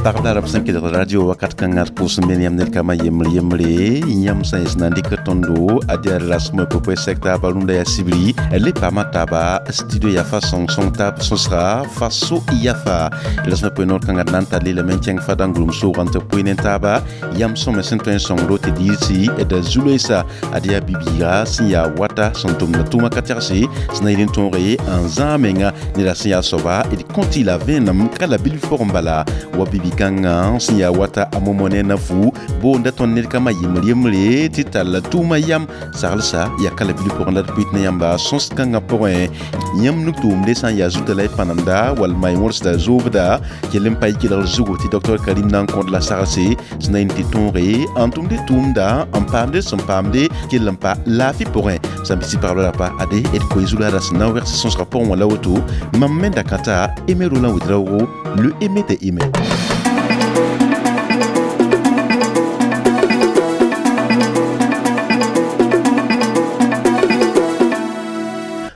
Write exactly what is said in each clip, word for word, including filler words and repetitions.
Pagb la b sẽn kelg radio wakat kãngã d pʋʋs n me yãmb ned kambã yembr yembre yãmb sã yẽs na n dɩk tõndo ad yaa rasmã pʋ sɛk taaba rũndã yaa sibri le paama taaba studio yaa fa sõng-sõng taab sõsga faso yafa rasmã poe noor kãngã d na n tar lelame n kẽng fada n gʋlem soogã tɩ poe ne taaba yãmb sõme sẽn tõe n sõngdo tɩ diirsi da zu-loeesa ad yaa bibiiga sẽn yaa wata sẽn tʋmda tʋʋma ka tɛgse sẽn na yɩl n tõoge n zãag menga neda sẽn yaa soaba d kõtɩ la vẽenem ka la bilf pʋgẽ bala wa bibi-kãngã sẽn yaa wata a momo ne na fu boonda tõnd ned kambã yembr yembre tɩ tall tʋʋma yam saglsa yaa ka la bilf pʋgẽ la d pʋɩt ne yãmba sõs-kãngã pʋgẽ yãmb nug-tʋʋmde sã n yaa zuta la y pãnemda wall y wõrsda zoobda kell n pa y kelgr zugu tɩ docteur Karim na n kõd la saglse sẽn na yĩn tɩ tõoge n tʋmde tʋʋmda n paamde sẽn paamde kell n pa laafɩ pʋgẽ sã n bisi pagb la rapa ade d koe zu-laada sẽn na n wɛgs sõsgã pʋgẽ wã la woto mam me da kãta Aimé Roland Ouédraogo le Aimé de Aimé.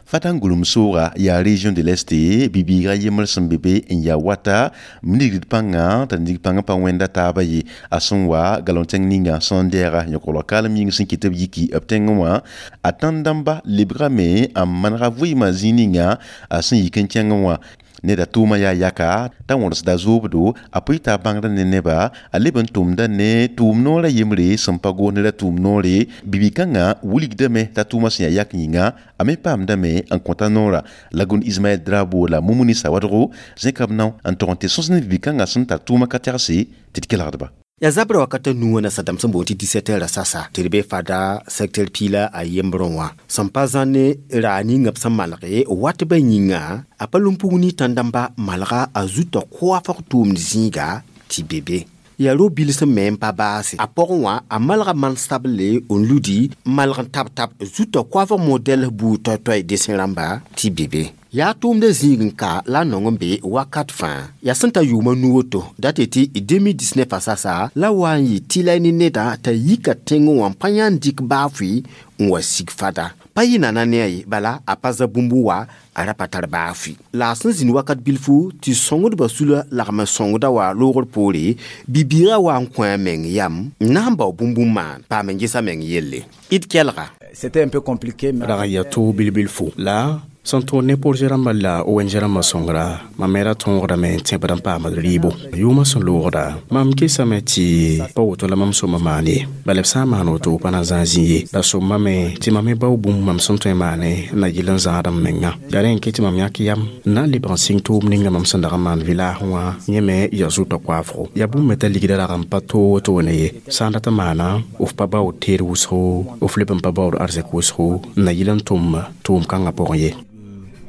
Fatan gulum sooga yaa région de l'Est bibiiga yembr sẽn be be n yaa wata nigd pãnga t'a nig pãngã pa wẽnda taaba ye a sẽn wa galon tẽng ninga sẽn dɛɛga yõkglg kaalem yĩng sẽn kɩt b yiki b tẽngẽ wã a tãn-dãmba lebgame n manega vɩɩmã zĩig ninga a sẽn yik n kẽngẽ wã neda tʋʋma yaa yaka t'a wõrsda zoobdo a pʋɩ t'a bãngr ne neba a leb n tʋmda ne tʋʋm noorã yembre sẽn pa goos neda tʋʋm noore bibi-kãngã wilgdame t'a tʋʋmã sẽn yaa yak yĩnga a me paamdame n kõta noora Lagun Ismaël Drabo la Mumuni Sawadgo zẽka b nao n tog n tɩ sõs ne bibi-kãngã sẽn tar tʋʋmã ka tɛgse tɩ d kelgdba. Ya zabra wakata nuwã na sadam sẽn boond tɩ dix-sept heures sasa tɩ d be fada secteur piila a yembrẽ wã sẽn pa zãn ne raa ninga b sẽn malge wat ba yĩnga a pa lũm-pug ne tãn-dãmba malga a zutã koafg tʋʋmd zĩiga tɩ be be yaa ro-bil sẽn me n pa baase a pʋgẽ wã a malga man-sable n ludi n malg n tab-tab zutã koafg modɛl buud toay-toay desẽ rãmba tɩ be be yaa tʋʋmda zĩig n ka la a nong n be wakat fãa yaa sẽn ta yʋʋma nu woto dat tɩ deux mille dix-neuf a sasa la wa n yɩ tɩ la ne neda t'a yika tẽngẽ wã n pa yãn dɩk baafʋɩ n wa sig fada pa yɩ nana ne a ye bala a pa za bũmb wa a ra pa tar baafʋɩ la a sẽn zĩnd wakat bilfu tɩ sõngdbã sula lagm n sõngda wa loogr poore bibiigã wa n kõ a meng yam n na n bao bũmb n maan paam n ges a meng yelle d kelga. C'était un peu compliqué mais rag yaa toog bilbilfo la sẽn tõod ne projet rãmbã la O N G rãmbã sõngra mam me ra tõogdame n tẽbd n paamd rɩɩbo yʋʋmã sẽn loogda mam kesame tɩ pa woto la mam sõma maan ye bala b sã n maan woto pa na zãag zĩ ye la sõmame tɩ mam me bao bũmb mam sẽn tõe n maane n na yɩl n zãad m menga yaa rẽ n ket tɩ mam yãk yam n na n lebg n sɩng tʋʋm ninga mam sẽn dag n maan village wã yẽ me yaa zʋtã koaafgo yaa bũmb me t'a ligda rag n pa toog wotone ye sã n dat n maana f pa baood teed wʋsgo f leb n pa baood arzɛk wʋsgo n na yɩl n tʋm tʋʋm kãngã pʋgẽ ye.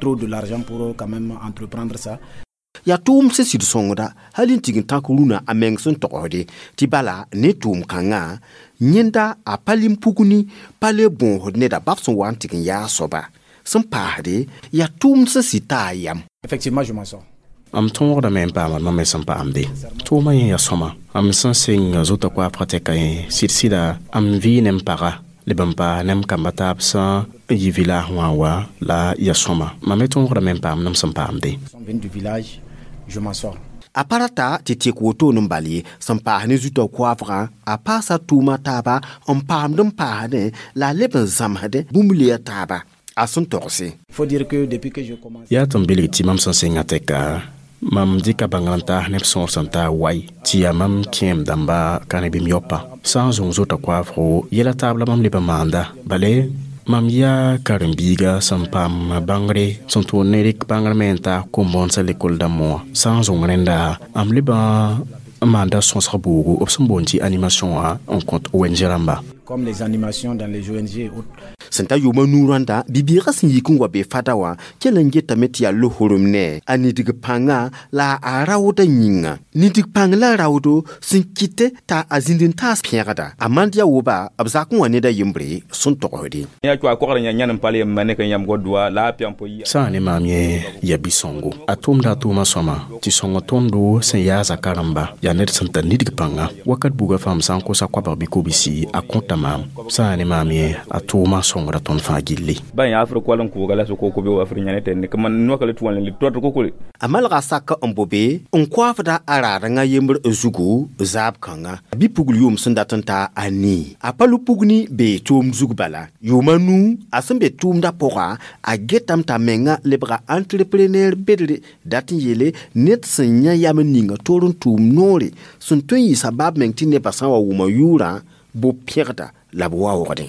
Trop de l'argent pour quand même entreprendre ça. Ya tʋʋm sẽn sɩd sõngda hal n tig n tãk rũnã a meng sẽn togsde tɩ bala ne tʋʋm kãngã yẽnda a pa lim-pugni pa le bõosd neda bab sẽn wa n tɩg n yaa soaba sẽn paasde yaa tʋʋm sẽn sɩd t'a a yam. Effectivement, je m'en sors. Am tõogdame n paamd mam me sẽn paamde tʋʋmã yẽ yaa sõma am sẽn sɩng zʋtã koaafgã tɛka yẽ sɩd-sɩda am vɩ ne m paga leb n pa nem kamba taab sã n yi village wã wa la ya sõma mam me tõogdame n paam nem sẽn paamde. Du village, je m'en sors. A pa rata tɩ tek woto n bal ye sẽn paas ne zutã koaafgã a paasa tʋʋma taaba n paamd n paasdẽ la a leb n zãmsdẽ bũmb leya taaba a sẽn togse. Faut dire que depuis que je commence. Yaa tɩ m bilg tɩ mam sẽn sɩngã tɛka mam dɩka bãngr n taas neb sõor sẽn taa wai tɩ yaa mam kẽem dãmba ka ne bɩ m yopa sã n zũng zʋtã koaafgo yɛla taab la mam leb n maanda bale mam yaa karen-biiga sẽn paam bãngre sẽn tʋʋd ne rɩk bãngr me n taas kom-bõondsã lekol dãmbã wã sã n zũng rẽnda am leb n maanda sõsg buugu b sẽn boond tɩ animation wã n kõt O N G rãmba. Comme les animations dans les O N G et autres. Sẽn ta yʋʋmã nu-rãnda bibiigã sẽn yik n wa be fada wã kell n getame tɩ yaa lohorem ne a nidg pãngã la a raooda yĩnga nidg pãng la raoodo sẽn kɩte t'a a zĩnd n taas pẽgda a mand yaa woba b zak n wa ned a yembre sẽn togsde. Sã n ne maam yẽ yaa bi-sõngo a tʋmda a tʋʋmã sõma tɩ sõng tõndo sẽn yaa zaka rãmba yaa ned sẽn tar nidg pãnga wakat buga fãa m sã n kosa koabg bɩ kobisi a kõta maam sã n ne maam ye a tʋʋmã sõngra tõnd fãa gilli. Ba yã afr koal n kʋʋga la soko ko be wa fr yãne tɛnne kama noaka la tʋ wã le tɔt kokole. A malga sak n bo be n koafda a raadẽngã yembr zugu zaab kãnga bɩ-pugl yʋʋm sẽn dat n ta a nii a pa lu-pugni bee tʋʋm zug bala yʋʋma nuu a sẽn be tʋʋmdã pʋga a getame t'a menga lebga entrepreneur bedre dat n yeele ned sẽn yã yam n ninga toor n tʋʋm noore sẽn tõe n yɩ sabab meng tɩ nebã sã n wa wʋma yʋʋrã bo pẽgda la b waoogdẽ.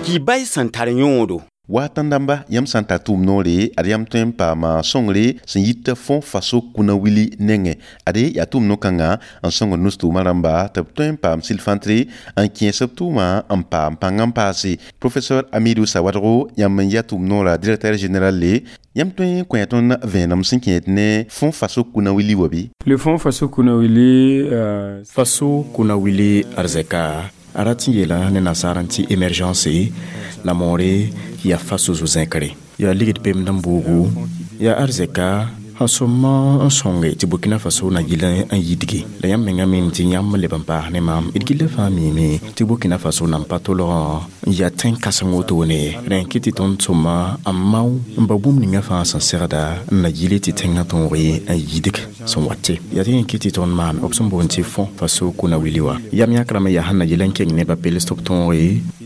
Kibay sẽn tar yõodo. Wa tãn-dãmba yãmb sã n tar tʋʋm noore ad yãmb tõe n paama sõngre sẽn yit fõ faso kũna wili nengẽ ade yaa tʋʋm no-kãngã n sõngd nus-tʋʋmã rãmba tɩ b tõe n paam sɩl-fãntre n kẽes b tʋʋmã n paam pãng n paase. Professeur Amidou Sawadgo yãmb n yaa tʋʋm noora directeur général le yãmb tõe n kõ tõnd vẽenem sẽn kẽed ne fõ faso kũna wili wa bɩ? Le fonds Faso Kunawili euh... Faso Kunawili arzɛka a rat n yeela ne nasaar n tɩ émergence la moore yaa faso zo-zẽkre yaa ligd pemd n buugu yaa arzɛka sẽn sõma n sõnge tɩ Burkina Faso na yɩl n yidge la yãmb menga mim tɩ yãmb leb n paas ne maam d gilla fãa miime tɩ Burkina Faso nan pa tolgã n yaa tẽn-kãseng wotone rẽ kɩ tɩ tõnd sõma n mao n ba bũmb ninga fãa sẽn segda n na yɩle tɩ tẽngã tõog n yidg sẽn wate yaa tɩ yẽ kɩ tɩ tõnd maan b sẽn boond tɩ fõ Faso Kunawili wa yam yãkrame yaa sẽn na yɩl n keng nebã pels tɩ b tõog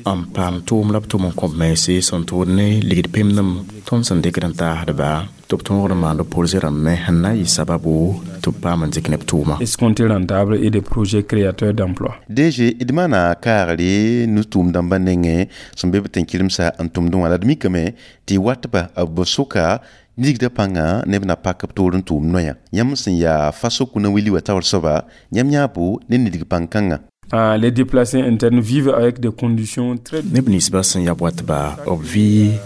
n paam tʋʋm la b tʋm n kõb mense sẽn tʋʋd ne ligd pemdem tõnd sẽn dɩkd n taasdba tɩ b tõogd n maand projet rãmb me sẽn na n yɩ sababu tɩ b paam n dɩk neb tʋʋma. Escompté rentable et des projets créateurs d'emplois. D G d maana kaagre nus-tʋʋm-dãmbã nengẽ sẽn be b tẽn-kɩremsa n tʋmdẽ wã la d mikame tɩ watba b soka nigda pãnga neb na pak b toor n tʋʋm noyã yãmb sẽn yaa faso kũna wili wa taoor soaba yãmb yãabo ne nidg pãn-kãngã. Ah, les déplacés internes vivent avec des conditions très neb ninsbã sẽn ya watba b vɩ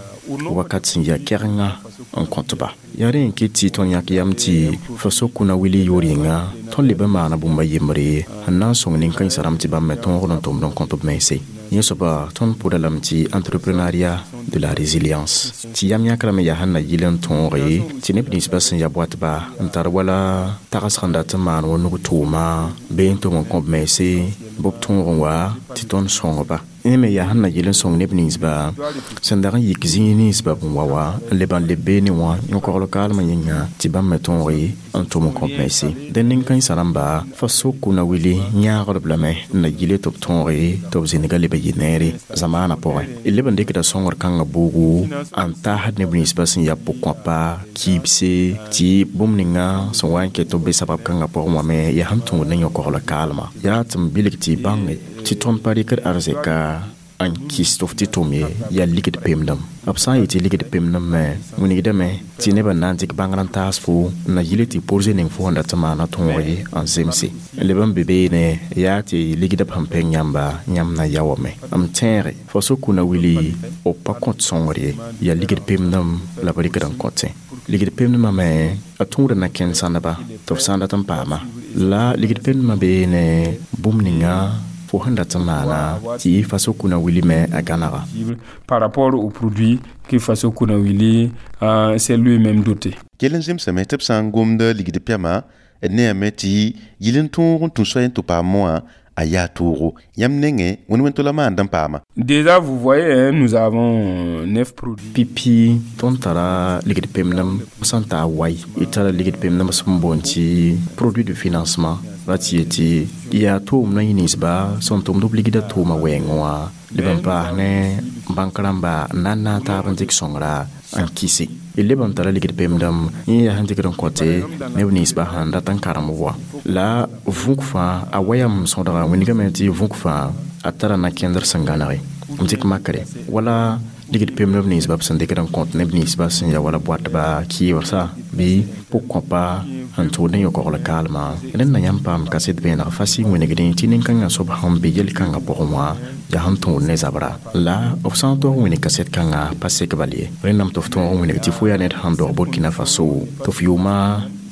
wakat sẽn yaa kɛgenga n kõtba yaa rẽ n kɩt tɩ tõnd yãk yam tɩ faso kũna wili yoor yĩnga tõnd leb n maana bũmba yembre sẽn na n sõng nin-kãensã rãmb tɩ bãmb me tõogd n tʋmd n kõt b mense yẽ soaba tõnd pʋda lame tɩ entrepreneuriat de la résilience tɩ yam yãkrame yaa sẽn na yɩl n tõoge tɩ neb ninsbã sẽn ya boatba n tar wala tagsg n dat n maan wa nug tʋʋma bee n tʋm n kõb mense bɩ b tõog n wa tɩ tõnd sõngba yẽ me yaa sẽn na yɩl n sõng neb ninsba sẽn dag n yik zĩig ninsba b n wa wa n leb n leb beene wã yõ-kogl kaalmã yĩnga tɩ bãmb me tõoge n tʋm n kõb mense dẽn nin-kãensã rãmba faso kũna wili yãagdb lame n na yɩle tɩ b tõoge tɩ b zĩnga leb n yɩ neere zamaanã pʋgẽ d leb n dɩkda sõngr kãngã buugu n taasd neb ninsbã sẽn yaa pʋg-kõapa kiibse tɩ bũmb ninga sẽn wa n ket tɩ b be sabab kãngã pʋgẽ wã me yaa sẽn tõod ne yõ-kogl kaalmã yaa tɩ m bilg tɩ y bãnge tɩ tõnd pa rɩkd arzɛka n kɩs tɩ f tɩ tʋm ye yaa ligd pemdem b sã n yetɩ ligd pemdem me wilgdame tɩ nebã na n dɩk bãngr n taas fo n na yɩle tɩ porze ning fo sẽn dat n maana tõog ye n zemse leb n be beene yaa tɩ ligda b sẽn pẽng yãmba yãmb na yaoome m tẽege faso kũna wili b pa kõt sõngr ye yaa ligd pemdem la b rɩkd n kõtẽ ligd pemdmã me a tõoda na kẽnd sãndba tɩ b sã n dat n paama la ligd pemdmã beene bũmb ninga fo sẽn dat n maana tɩ faso kũna wili me a gãnaga. Par rapport au produit que Faso Kuna Wili euh, s'est lui-même doté. Kell n zemsame tɩ b sã n gomd ligd pɛma d ne yame tɩ yɩl n tõog n tũ soay n tɩ paam wã a yaa toogo yãmb nengẽ wẽnd wẽn-tola maand n paama. Déjà, vous voyez, hein, nous avons neuf produits. Pipi tõnd tara ligd pemdem sẽn taa wai d tara ligd pemdem sẽn boond tɩ produit de financement ra tɩ yetɩ yaa tʋʋm na yẽ ninsba sẽn tʋmd b ligda tʋʋma wɛɛngẽ wã leb n paas ne bãnk rãmba n na n naag taab n dɩk sõngra n kɩse d leb n tara ligd pemdem yẽ yaa sẽn dɩkd n kõte neb ninsbã sẽn dat n karem wa la vũk fãa a wayam sõdga wĩnigame tɩ vũk fãa a tara na-kẽndr sẽn gãnege n dɩk makre wala ligd pemdb ninsba b sẽn dɩkd n kõt neb ninsba sẽn ya wala boatba kɩɩbsa bɩ pʋg-kõpa sẽn tʋʋd ne yõ-kogl kaalmã rẽnd na yãmb paam kaset vẽeneg fasɩ wĩnigdẽ tɩ nin-kãngã soab sẽn be yel-kãngã pʋgẽ wã yaa sẽn tõod ne zabra la b sã n tog n wĩnig kaset kãngã pa sek bal ye rẽndame tɩ f tõog n wĩnig tɩ fo yaa ned sẽn dog Burkina Faso tɩ f yʋʋma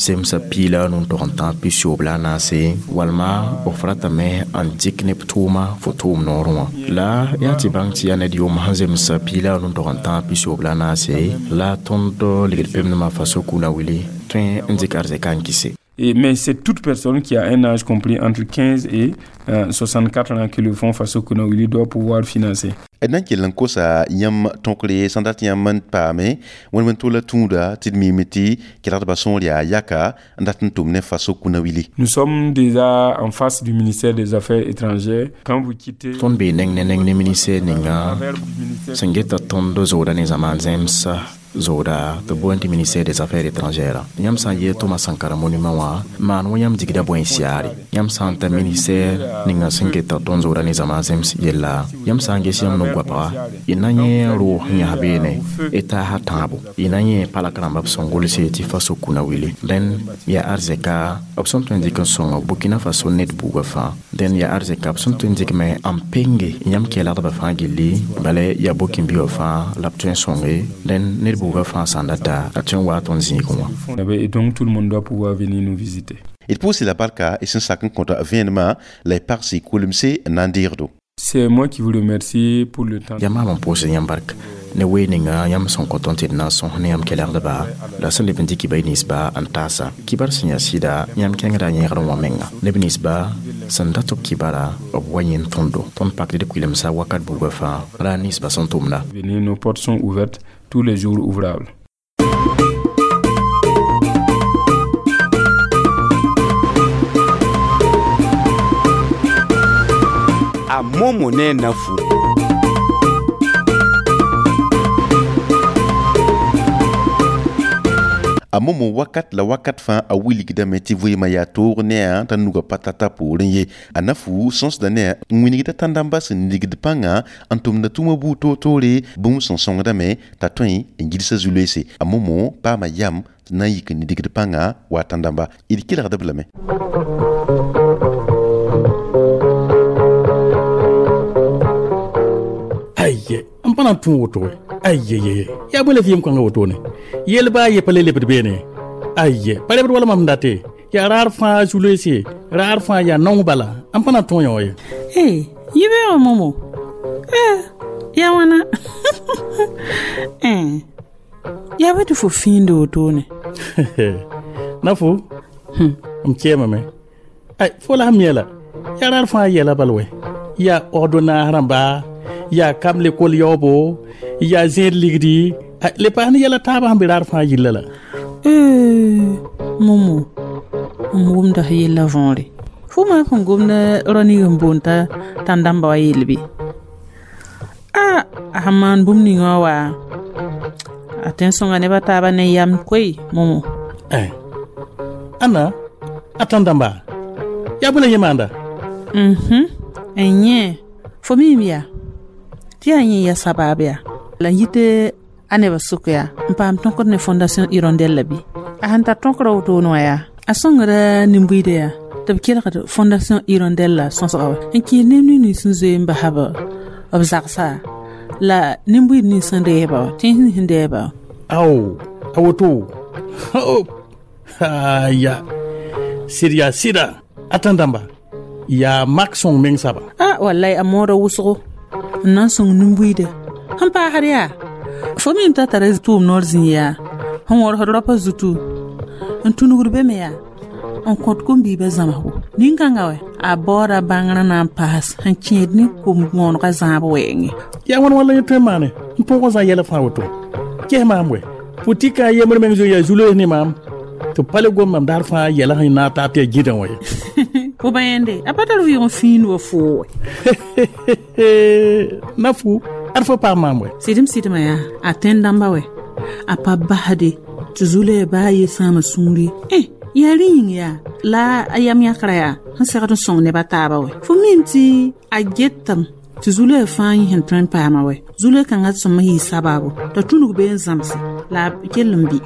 zemsa piila nun tog n tãag pisooob la a naase walma f ratame n dɩk neb tʋʋma fo tʋʋm noorẽ wã la yaa tɩ bãng tɩ yaa ned yʋʋm sẽn zemsa piila nun tog n tãag pisooob la a naase la tõnd ligd pemdmã faso kũna wili tõe n dɩk arzɛka n kɩse. Et, mais c'est toute personne qui a un âge compris entre quinze et euh, soixante-quatre ans que le Fonds Faso Kounawili doit pouvoir financer. D na n kell n kosa yãmb tõkre sẽn dat yãmb n paame wẽnd tola tũuda tɩ d miime tɩ kelgdbã sõor yaa yaka n dat n tʋm ne Faso Kounawili. Nous sommes déjà en face du ministère des Affaires étrangères. Quand vous quittez Tõnd bee neng ne neng ne ministère ninga sẽn geta tõnd zooda ne zamaan zẽmsa zooda tɩ boond tɩ ministère des Affaires étrangères. Yãmb sã n yee Thomas Sankara monument wã maan wã yãmb digda bõe siaare. Yãmb sã n ta ministère ninga sẽn geta tõnd zooda ne zamaan zẽms yella, yãmb sã n ges yãmb no-goapga y na yẽ roog sẽn yas beene y taasa tãabo, y na yẽ palak rãmba b sẽn gʋlse tɩ Faso Kounawili. Dẽn yaa arzɛka b sẽn tõe n dɩk n sõnga Burkina Faso ned buugã fãa. Dẽn yaa arzɛka b sẽn tõe n dɩk me n penge yãmb kelgdbã fãa gilli, bala yaa Burkinbi wã fãa la b tõe n sõnge. Dẽn ned buugã fãa sã n data a tõe n wa tõnd zĩigẽ wã. Et donc tout le monde doit pouvoir venir nous visiter. D pʋʋse la barka y sẽn sak n kõta vẽenemã la y pagse kolemse n na n deegdo. C'est moi qui vous remercie pour le temps. Yaa maam n pʋʋsd yãmb bark ne wee ninga yãmb sẽn kõ tõnd tɩ d na n sõs ne yãmb kelgdba la sẽn leb n dɩk kiba y ninsba n taasa. Kibar sẽn yaa sɩda yãmb kẽngda yẽgr wã menga. Neb ninsba sẽn dat b kibara b wa yẽnd tõndo. Tõnd pakd d kuilemsa wakat buugã fãa ra ninsba sẽn tʋmda. Venez, nos portes sont ouvertes tous les jours ouvrables. A momo ne nafu. A momo wakat la wakat fãa a wilgdame tɩ vɩɩmã yaa toog ne a t'a nugã pa tata poorẽ ye. A nafu sõsda ne a n wilgda tãn-dãmbã sẽn ligd pãnga n tʋmda tũumã buud toor-toore bũmb sẽn sõngdame t'a tõe n gilsa zu-loeese. A momo paama yam na n yik n ligd pãnga wa a tãn-dãmba. D kelgd-b lame. Aye, n pa na n tũ woto we. Aye, yaa bõe la f yem kãngã wotone? Yel baa ye pa le lebd beene. Aye, pa lebd wala mam date. Yaa raar fãa zu-loeese, raar fãa yaa naong bala. N pa na n tõe yõ ye. Ee, yibeoogo momo. Eh, yaa wãna. Eh, yaa bõe tɩ fo fĩinde wotone? Nafu, m kɛɛmame. Ay, fo la sẽn mi la. Yaa raar fãa yɛla bal wɛ. Yaa ordonnaas rãmba, yaa kam lekol yaoobo, yaa zẽed ligdi, le paas ne yɛla taabã sẽn be raar fãa yilla la. Ee, momo, m wʋmda f yella võore. Fo maa sẽn gomda rao-ning n boond t'a tãn-dãmba wa yell bɩ? A, a sẽn maan bũmb ninga wã wa, a tõe n sõnga nebã taabã ne yam koe, momo. Eh, ãnna, a tãn-dãmba, yaa bõe la yẽ maanda? Mhm, n yẽ, fo miime yaa? Tɩ yaa yẽ ya sabaab yaa. La n yit a nebã sʋk yaa n paam tõkd ne Fondation Hirondelle la bɩ. A sẽn tar tõkrã wotone wã yaa, a sõngra nin-buiidã yaa tɩ b kelgd Fondation Hirondelle la sõsga wa n kẽes neb nins sẽn zoe n basa b zagsa la nin-buiid nins sẽn reeba wa, tẽns nins sẽn deeba wa. Ao, a woto. Aya, sɩd yaa sɩda, a tãn-dãmba yaa mak sõng meng saba. A wallahi a moodã wʋsgo n na n sõng nin-buiidã. Sẽn paasd yaa, fo mim t'a tara tʋʋm noor zĩ yaa, sẽn wõrsd raopã zutu, n tũnugd be me yaa, n kõt kom-biibã zãmsgo. Nin-kãngã wɛ, a baooda bãngrã na n paas sẽn kẽed ne kom-wõonegã zãab wɛɛngẽ. Yaa wãn wãn la yẽ tõe n maane n põg n zã yɛla fãa woto? Ges maam wɛ, putika a yembr meng zoe yaa zu-loees ne maam, tɩ pa le gom mam daar fãa yɛla sẽn na n taab tɩ yaa gĩdã wã ye. Fo ba yẽnde, a pa tar vɩʋʋg n fĩind wa foo wɛ. Nafu, ad fo paam maam wɛ. Sɩdem sɩdmã yaa, a tẽn-dãmba wɛ, a pa basde tɩ zu-loɛɛ baa ye sãama sũuri. Eh, yaa rẽ yĩng yaa, la a yam yãkrã yaa, sẽn segd n sõng nebã taabã wɛ. Fo mim tɩ a getame tɩ zu-loɛɛ fãa yẽ sẽn tõe n paama wɛ. Zu-loɛɛ kãngã sõma yɩɩ sabaabo t'a tũnug bee n zãmse la a kell n bɩ.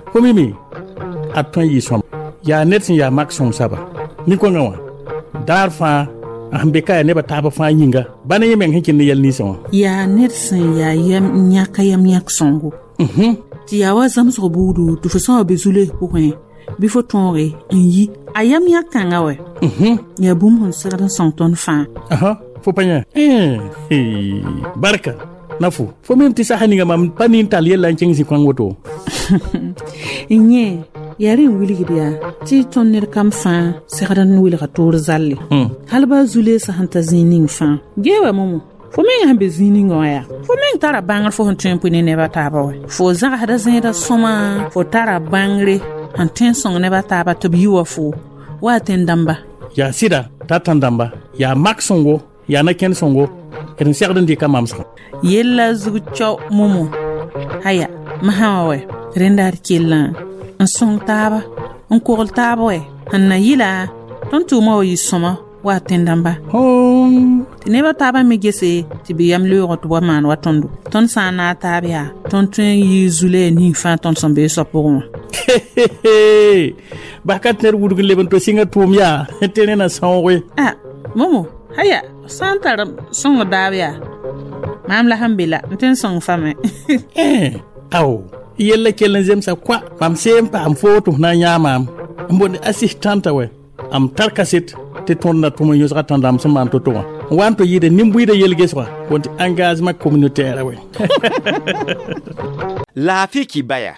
Fo mime, a tõe n yɩ sõma. Yaa ned sẽn yaa mak sõng saba. Nin-kõngã wã, daar fãa a sẽn be ka yaa nebã taabã fãa yĩnga, ba ne yẽ meng sẽn kẽnd ne yɛl ninsẽ wã. Yaa ned sẽn yaa yam yãka yam yãk sõngo. Tɩ yaa wa zãmsg buudu tɩ fo sã wa be zu-loees pʋgẽ bɩ fo tõoge n yi. A yam yãk kãngã wɛ, yaa bũmb sẽn segd n sõng tõnd fãa. Fo pa yã? Barka, Nafu, fo mim tɩ sasa ninga mam pa nin tall yella n kẽng zĩ-kãng woto. N yẽ, Yaa rẽ n wilgd yaa tɩ tõnd ned kam fãa segd n wilga toor zalle. Hal baa zu-leesã sẽn ta zĩig ning fãa. Gee wa momo. Fo meng sẽn be zĩig ninga wã yaa. Fo meng tara bãngr fo sẽn tõe n pʋ ne neb a taaba wɛ. Fo zagsda zẽedã sõma, fo tara bãngre sẽn tõe n sõng neb a taaba tɩ b yi wa fo. Wa tẽn-dãmba. Yaa sɩda t'a tãn-dãmba yaa mak sõngo yaa na-kẽnd sõngo d n segd n dɩka mamsgã. Yella zug cao momo. Haya, masã wã wɛ rẽnda d kellã n sõng taaba n kogl taab wɛ sẽn na yɩla tõnd tʋʋma wa yɩ sõma wa tẽn-dãmba. Tɩ neb a taabã me gese tɩ bɩ yam leoog tɩ b wa maan wa tõndo. Tõnd sã n naag taab yaa tõnd tõe n yɩ zu-loɛɛ ning fãa tõnd sẽn bee soab pʋgẽ wã. Bas ka tɩ ned wudg n leb n to sɩngã tʋʋm yaa tɩ rẽ na sãooge. A momo haya sã n tar sõng daab yaa maam la sẽn be la n tõe n sõng fa me. Ao yella kell n zemsa koa mam see n paam foo tɩ f na n yãa maam n boond assistanta wɛ am tar kaset tɩ tõnd na tʋm n yõsga tãn-dãmb sẽn maan to-to wã n wa n to yɩɩda nin-buiidã yel-gesgã boond tɩ engagement communautaire wɛ. Laafɩ kibaya.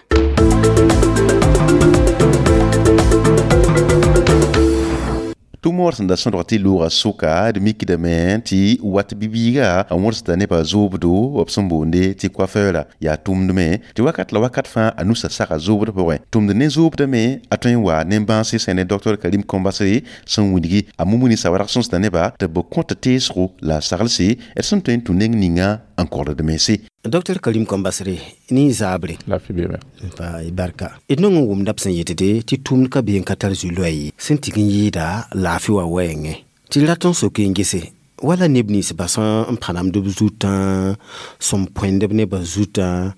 Tʋm sẽn da sõdg tɩ loogã sʋka d mikdame tɩ wat bi-biiga n wõsda nebã zoobdo b sẽn boonde tɩ coiffeura yaa tʋmdme tɩ wakat la wakat fãa a nusa saga zoobd pʋgẽ tʋmd ne zoobdame a tõe n wa nen-bãase sẽn ne docteur Karim Kombasre sẽn wilgi a mumuni sawarg sõsda nebã tɩ b kõt teesgo la a saglse d sẽn tõe n tũ neng ninga n kogd mense. Docteur Karim Kombasre ni zabre. La fi bebe. Pa barka. D nong n wʋmda b sẽn yetde tɩ tʋʋmd ka bee n ka tar zu-loɛɛ ye sẽn tɩg n yɩɩda laafɩ wã wɛɛngẽ tɩ rat n sok n gese wala neb nins ba sẽn n pãnemd b zutã sẽn põend b nebã zutã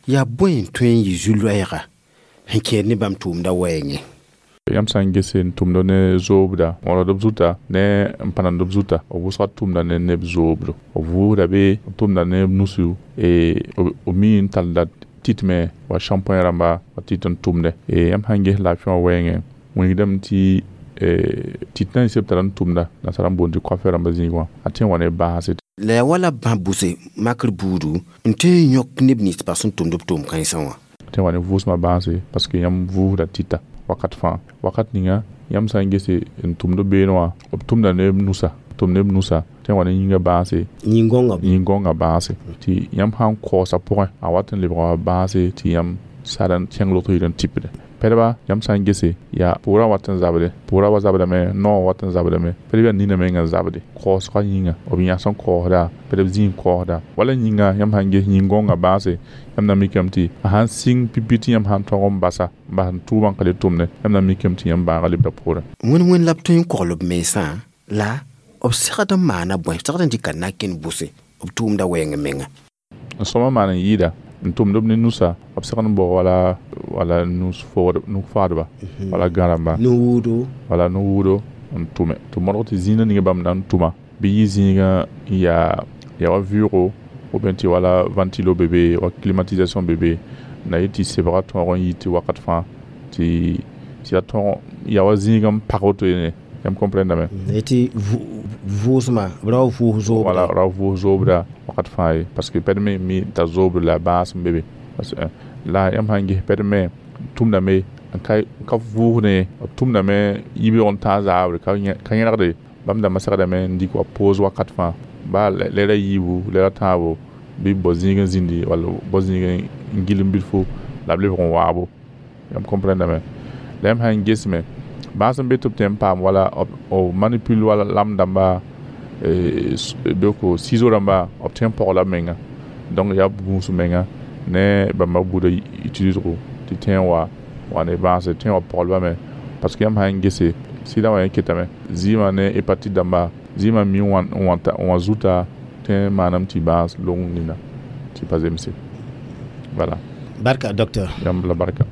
yaa bõe n tõe n yɩ zu-loɛɛga sẽn kẽed ne bãmb tʋʋmdã wɛɛngẽ. Yãmb sã n gese n tʋmd ne zoobda wãrd b zuta ne n pãnemd b zuta b wʋsga tʋmda ne neb zoobdo b vʋʋsda be b tʋmda ne b nusu b mi n tallda tɩtme wa shampoing rãmba wa tɩt n tʋmde yãmb sã n ges laafɩ wã wɛɛngẽ wilgdame tɩ tɩt na n seb tara n tʋmda nasara n boond tɩ coiffeur rãmbã zĩig wã a tõe n wa ne bãase. La yaa wala bã bʋse makr buudu n tõe n yõk neb nins ba sẽn tʋmd b tʋʋm kãensã wã. Tõe n wa ne vʋʋsmã bãase parce que yãmb vʋʋsda tɩta wakat fãa wakat ninga yãmb sã n gese n tʋmd beene wã b tʋmda ne b nusa tʋm ne b nusa tõe n wa ne yĩngã bãase yĩn-gõngã bãase tɩ yãmb sã n kaoosa pʋgẽ a wat n lebga bãase tɩ yãmb sad n kẽng lot yɩl n tipde pɛdba yãmb sã n gese yaa pʋʋrã wat n zabde pʋʋrã wa zabdame noogã wat n zabdame pɛdb yaa nina menga n zabde kaoosgã yĩnga b yãs n kaoosda pɛdb zĩig kaoosda wala yĩnga yãmb sã n ges yĩn-gõngã bãase yãmb na mikame tɩ a sãn sɩng pipi tɩ yãmb sã n tõg n basa n bas n tʋʋmã n ka le tʋmne yãmb na mikame tɩ yãmb bãagã lebda poorẽ. Wẽnd wẽnd la b tõe n kogl b mensã la b segd n maana bõe segd n dɩka na-kẽnd bʋse b tʋʋmda wɛɛng menga. N sõma maan n yɩɩda n tʋmd b ne nusa b segd n bao wala wala nus-faadba wala gã-rãmba nu-wʋʋdo wala nu-wʋʋdo n tʋme tɩ modg tɩ zĩigã ning bãmb na n tʋma bɩ yɩ zĩigã n yaa yaa wa vɩʋʋgo ou bien tɩ wala ventilo be be wa climatisation be be na yɩ tɩ sebgã tõog n yi tɩ wakat fãa tɩ tɩ ya tõog yaa wa zĩigã n pag woto yene yãmb comprendame tɩ vʋʋsmã ra wa vʋʋs zoobda wala ra vʋʋs zoobda wakat fãa ye parce que pɛd me mi t'a zoobd la bãas n be be parce que la yãmb sã n ges pɛd me tʋmdame n ka ka vʋʋsne b tʋmdame yibeoog n tãag zaabre ka yẽlgde bãmb dãmbã segdame n dɩk wa pose wakat fãa baa lɛɛra yiibu lɛɛra tãabo bɩ bao zĩig n zĩndi wall bao zĩig n gil n bilfo la b lebg n waabo yãmb comprendame la yãmb sã n gesme bãas n be tɩ b tõe n paam wala b manipule wala lam dãmba donc ciseau rãmba b tõe n pɔgla b menga donc yaa b gũus menga ne bãmba buudã utilisego tɩ tõe n wa wa ne bãase tõe n wa pɔglbame parce que yãmb sã n gese sɩdã wã yẽ ketame zɩɩmã ne hépatite dãmba zɩɩmã mi n wã zuta tõe n maaname tɩ bãas long nina tɩ pa zemse voilà. Barka docteur. Yãmb la barka.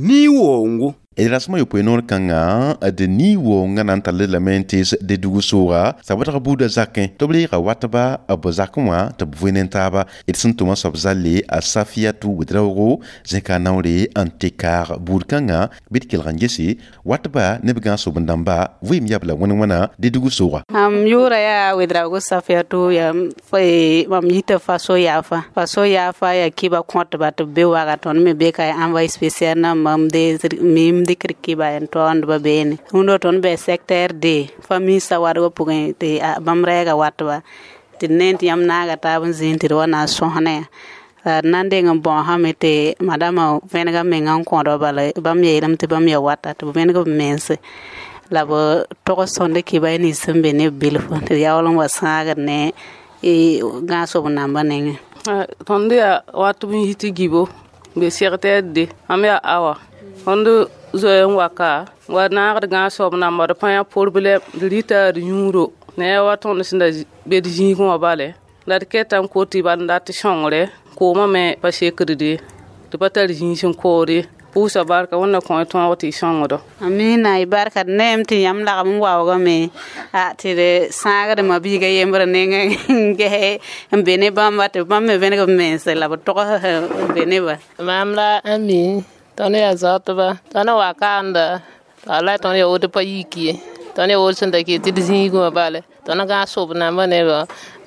Ni wongo. D Rasmã yopoe noor kãngã d nii-woongã na n tall lame n tees Dedougou sooga sabdg buudã zakẽ tɩ b reega watba b zakẽ wã tɩ b voe ne taaba d sẽn tʋma soab zalle a Safiatou Ouedraogo zẽka naoore n tɩ kaag buud kãngã bɩ d kelg n gese watba ne b gãas-soben-dãmba vɩɩm yabla wãn wãna Dedougou sooga. Mam yʋʋra yaa Ouedraogo Safiatou, yaa mam yita Faso yaafa. Faso yaafa yaa kiba kõtba tɩ b be waga. Tõnd me be ka envoyé spécial na mam de mim dɩkd kiba n taoondba beene. Rũndã tõnd bɩ secteur D famille sawadgã pʋgẽ tɩ bãmb rɛɛga watba tɩ d ne tɩ yãmb naaga taab n zĩig tɩ d wa na n sõsne. La d na n deng n bõosame tɩ madama vẽnega menga n kõdba, bala bãmb yeelame tɩ bãmb yaa wata tɩ b vẽneg b mense la b tog sõnd kiba nins sẽn be ne b bilf tɩ d yaool n wa sãagd ne gãas-sob nambã nengẽ. Tõnd yaa wat b n yi tɩ gibo be secteur D mam yaa awa. Tõnd zoe n wa ka wa naagd gãas-soab namba d pa yã problɛm d rɩta d yũudo ne wa tõnd sẽn da be d zĩigẽ wã bale la d keta n kot tɩ bal n dat sõngre koomã me pa sekd tɩ pa tar zĩig sẽn kood ye. Pʋʋsa barka Wẽnna kõ y tõog tɩ y sõngdo. Amina, y barka d neem tɩ yãmb lagm n waoogame a tɩ d sãagd ma-biigã yembr nengẽ n ges n be ne bãmba tɩ bãmb me vẽneg b mense la b togs n be ne-ba. Mam la Ami, tõnd yaa zaotba, tõnd wa kaanda wala tõnd yaa woto pa yik ye, tõnd yaa woto sẽn da ket tɩ d zĩigẽ wã bale tõnd gãas-sob nambã nebã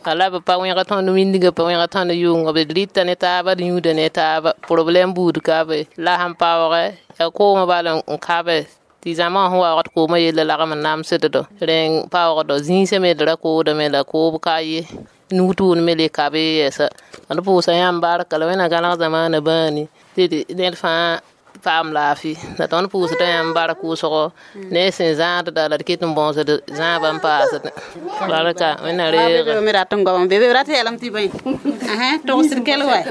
wala b pa wẽg tõnd wĩndgã pa wẽg tõnd yʋngo b rɩta ne taaba d yũuda ne taaba problɛm buud ka be la sẽn paoogɛ yaa koomã bal n kabe tɩ zãma sẽn waoogd koomã yella lagm n namsddo rẽng paoogdo zĩisã me d ra koodame la koob ka ye nug tʋʋn me le kabe yɛsa. Tõnd pʋʋsa yãmb barka la Wẽnna gãneg zamaana bãani tɩ ned fãa paam laafɩ la tõnd pʋʋsda yãmb bark wʋsgo ne sẽn zãadda la d ket n bõosd zãabã n paasd barka Wẽnna reega. Me rat n goam bebe rat yeelame tɩ bõe togsd kell wa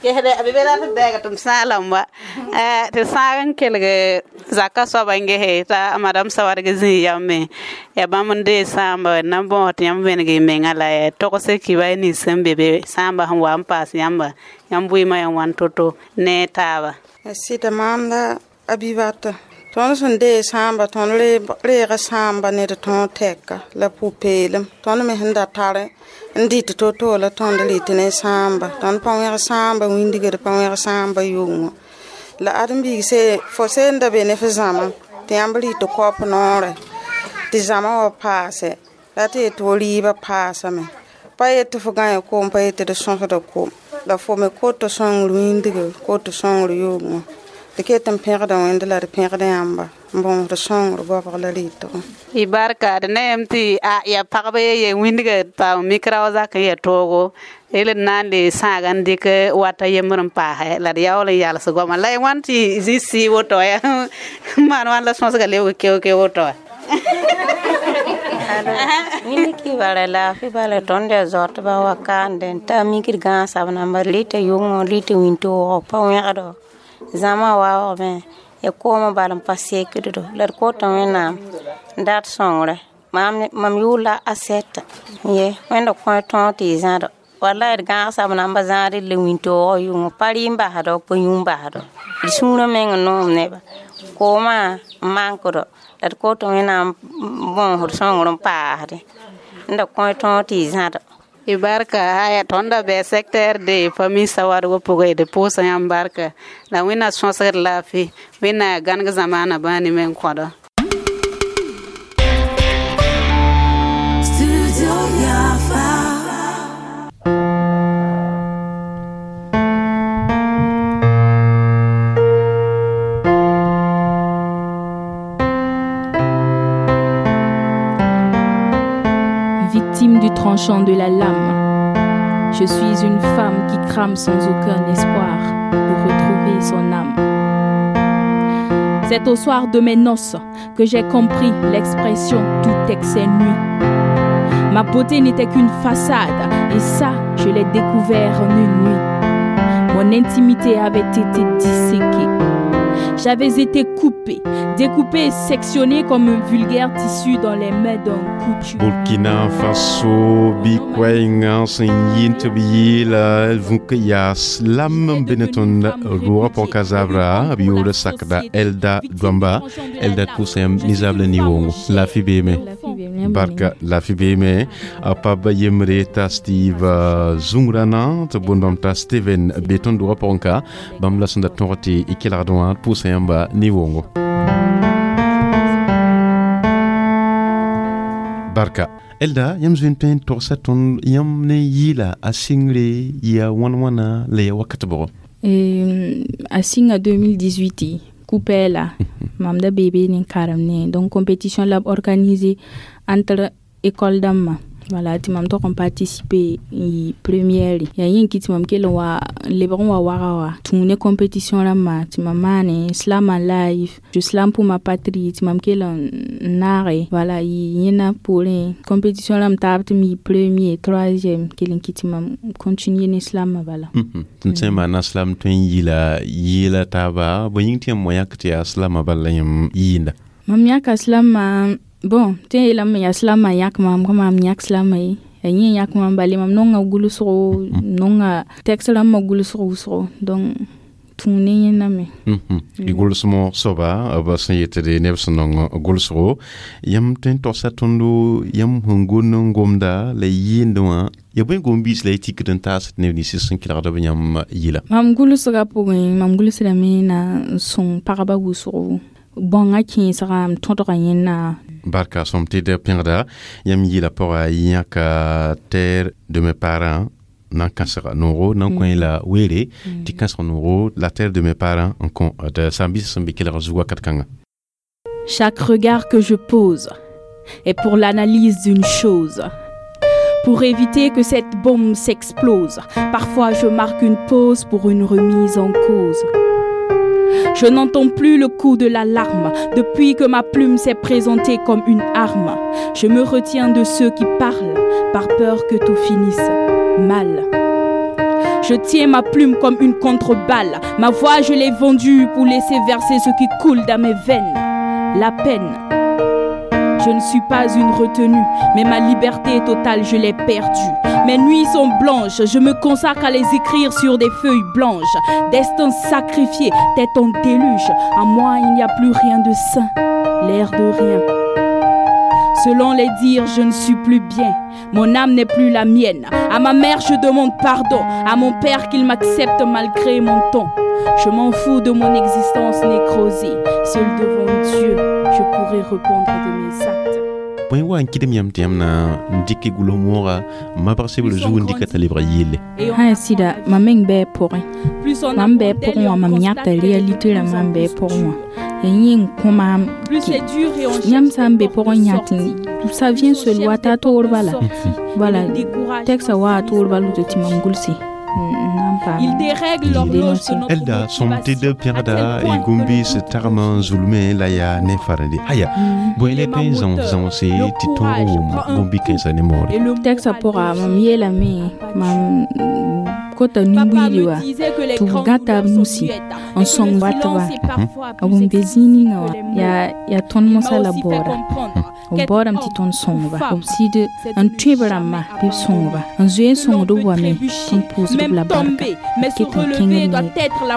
gesde bebe rat n dɛɛga tɩ m sãag lame wa tɩ sãag n kelg zaka soaba n gese t'a madame Sawadg zĩig yame yaa bãmb n dee sãamba n na n bõos tɩ yãmb vẽneg y menga la ya togs kiba nins sẽn be be sãamba sẽn wa n paas yãmba yãmb vɩɩmã yaa wãn to-to ne taaba. Sɩda maam la Abibata, tõnd sẽn dee sãamba tõnd reega sãamba ne d tõog tɛka la pʋ-peelem. Tõnd me sẽn da tar n dɩt to-to la tõnd rɩt ne sãamba. Tõnd pa wẽg sãamba wĩndg d pa wẽg sãamba yʋngɔ la ãdem-biig se fo seen da be ne f zãma tɩ yãmb rɩt koap noorɛ tɩ zãma wa paase la tɩ yet fo rɩɩbã paasame pa yet tɩ fo gãe koom pa yet tɩ d sõsda koom la fo me kot sõngr wĩndg kot sõngr yʋngɔ d ket n pẽgda Wẽnd la d pẽgd yãmba n bõosd sõngr goabg la rɩtgo. Y barka d neem tɩ a yaa pagb ye wĩndgã paam mikra wa zak n yaa toogo el d na n le sãaga n dɩk wata yembr n paasɛ la d yaool n yals goama la y wãn tɩ zĩ sɩ woto ya n maan wãn la sõsga lebg keoke woto wa. Wĩnd kibara laafɩ bala tõnd yaa zaotba wa kaande n ta mikd gãasab namba rɩta yʋngõ rɩta wĩntoogɔ pa wẽgdo zãma waoogame ya koomã bal n pa sekddo la d kota Wẽnnaam n dat sõngre. Mam yʋʋr la Asɛta ye Wẽnda kõ tõog tɩ y zãdo wala d gãagsab namba zãad la wĩntoogɔ yʋngɔ pa rɩ n basdo pa yũ n basdo d sũurã meng n noom neba koomã n mankdo la d kot Wẽnnaam bõosd sõngr n paasdẽ n da kõ tõog tɩ y zãdo. Y barka aya tõnda bɩ secteur D famille sawadgã pʋgẽ d pʋʋsa yãmb barka la Wẽnna sõsgd laafɩ Wẽnna gãneg zamaana bãani me n kõdo. Victime du tranchant de la lame, je suis une femme qui crame sans aucun espoir de retrouver son âme. C'est au soir de mes noces que j'ai compris l'expression tout excès nuit. Ma beauté n'était qu'une façade et ça, je l'ai découvert en une nuit. Mon intimité avait été disséquée. J'avais été coupée, découpée et sectionnée comme un vulgaire tissu dans les mains d'un couturier. Burkina Faso bɩ koɛɛngã sẽn yɩ tɩ b yeela vũk yaa slam n be ne tõnd roogã pɔka zabra b yʋʋr sakda Elda Douamba. Elda, d pʋʋsa yãmb nizaab la ni-wʋʋngo laafɩ beeme. Barka, laafɩ beeme. A pab yembre t'a Steve Zungrana tɩ boond t'a Steven be tõnd doogã pʋgẽ ka bãmb la sẽn da tõg tɩ y kelgd wã. D pʋʋsa yãmba ni-wʋʋngo. Barka Elda, yãmb zoe n tõe n togsa tõnd yãmb ne yɩɩla a sɩngre yaa wãn wãna la yaa wakat bʋgɔ? A sɩnga deux mille dix-huit kupɛɛla mam da bee ne karem ne, donc compétition la b organiser entre école dãmbã, voilà, tɩ mam tog n participer n yɩ première. Yaa yẽ kɩ tɩ mam kell n wa n lebg n wa waga wa tũ ne compétition rãmbã tɩ mam maane slam en live, je slam pour ma patrie, tɩ mam kell n naage, voilà, yɩ yẽna poorẽ compétition rãmb taab tɩ m yɩ premier, troisième, kell n kɩ tɩ mam continuer ne slamã bala. Tɩ sẽn maana slam tõe n yɩla yɩɩla taaba bõe yĩng tɩ yãmb wã yãk tɩ yaa slamã bala la yãmb yɩɩnda? Mam yãka slamã, bon, tɩ yeelame yaa slamã yãk maam ka maam yãk slamã ye, ya yẽ yãk maam bale mam nonga gʋlsgo, nonga texte rãmbã gʋlsg wʋsgo, donc tũ ne yẽnda me. Y gʋlsmɔ soaba b sẽn yetd neb sẽn nong gʋlsgo, yãmb tõe n togsa tõndo yãmb sẽn gʋnd n gomda la y yɩɩnd wã ya bõe gom-biis la y tikd n taasd neb nins sẽn kelgd b yãmb yɩla? Mam gʋlsgã pʋgẽ, mam gʋlsdame na n sõng pagba wʋsgo bãngã kẽesga m tõdga yẽnna. Barka sõm tɩ d pẽgda yãmb yɩɩla pʋga yãka Terre de mes parents nan kãsega noogo nan kõ la weere tɩ kãseg noogo La terre de mes parents n kõ d sãam-biisã sẽn be kelg zug wakat kãnga. Chaque regard que je pose est pour l'analyse d'une chose. Pour éviter que cette bombe s'explose, parfois je marque une pause pour une remise en cause. Je n'entends plus le coup de l'alarme depuis que ma plume s'est présentée comme une arme. Je me retiens de ceux qui parlent par peur que tout finisse mal. Je tiens ma plume comme une contreballe. Ma voix, je l'ai vendue pour laisser verser ce qui coule dans mes veines. La peine. Je ne suis pas une retenue, mais ma liberté totale, je l'ai perdue. Mes nuits sont blanches, je me consacre à les écrire sur des feuilles blanches. Destin sacrifié, tête en déluge. En moi, il n'y a plus rien de sain, l'air de rien. Selon les dires, je ne suis plus bien. Mon âme n'est plus la mienne. À ma mère, je demande pardon. À mon père, qu'il m'accepte malgré mon ton. Je m'en fous de mon existence nécrosée. Seul devant Dieu, je pourrai répondre de mes actes. Bõe wa n kɩdem yãmb tɩ yãmb na n dɩk gʋls moogã mabg sebr zug n dɩka t'a lebg yelle? Sã sɩda mam meng bɩ pʋgẽ, mam bɩ pʋgẽ wã mam yãkda réalité rãmbã n bɩ pʋgẽ wã ya yẽ n kõ maam yãmb sã n be pʋgẽ yãk ça vient seul wata a toor bala, voilà, texte wa a toor bala tɩ mam gʋlse. Il dérègle l'horloge de notre Elda sõm tɩ d pẽgda y gũm-biis tagm n zulmẽ la yaa ne farende aya bõe la tõe n zãos zãose tɩ tõog wʋm gũm-bi-kãensã ne moore? Texte pʋga mam yeelame mam kota nin-buiidi wa tɩ b gãta b nusi n sõng watba b n be zĩig ninga wã yaa yaa tõnd mosã la baooda b baoodame tɩ tõnd sõngba b sɩd n tõe b rãmbã bɩ b sõngba n zoe n sõngd b wame tɩ n pʋʋsd b la barka ket n kẽngd ne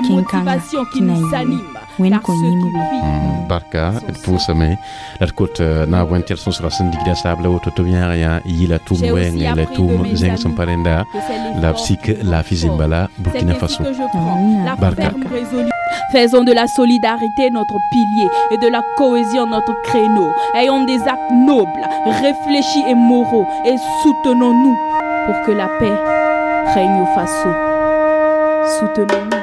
kẽn-kãnga tɩ na yɩ Wẽnd kõ yĩmb bɩ. Barka, d pʋʋsame la d kot naab wẽn tɩ d sõsga sẽn digda saabla woto tɩ b yãag yã yɩla tʋʋm wɛɛngẽ la tʋʋm zẽng sẽn pa rẽnda la b sik laafɩ zĩmba la Burkina Faso. Barka. Faisons de la solidarité notre pilier et de la cohésion notre créneau. Ayons des actes nobles, réfléchis et moraux et soutenons-nous pour que la paix règne au Faso. Soutenons-nous.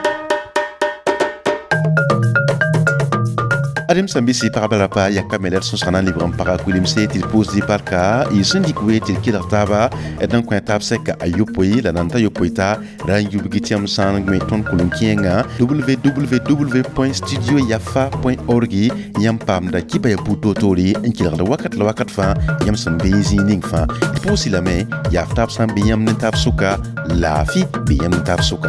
Adem sãn-bɩsɩ pagba la pa yakame la d sõsga na n lebg n paga kuilemse tɩ d pʋʋsd y parka y sẽn dɩk wee tɩ d kelg taaba d n kõ taab sɛka a yopoe la nan ta yopoe ta ra n yubg tɩ yãmb sã n gme tõnd kʋlem-kẽengã W W W point studio yafa point org yãmb paamda kɩba ya buud toor-toore n kelgd wakat la wakat fãa yãmb sẽn be zĩig ning fãa. D pʋʋs-y lame yaaf taab sã n be yãmb ne taab sʋka laafɩ be yãmb ne taab sʋka.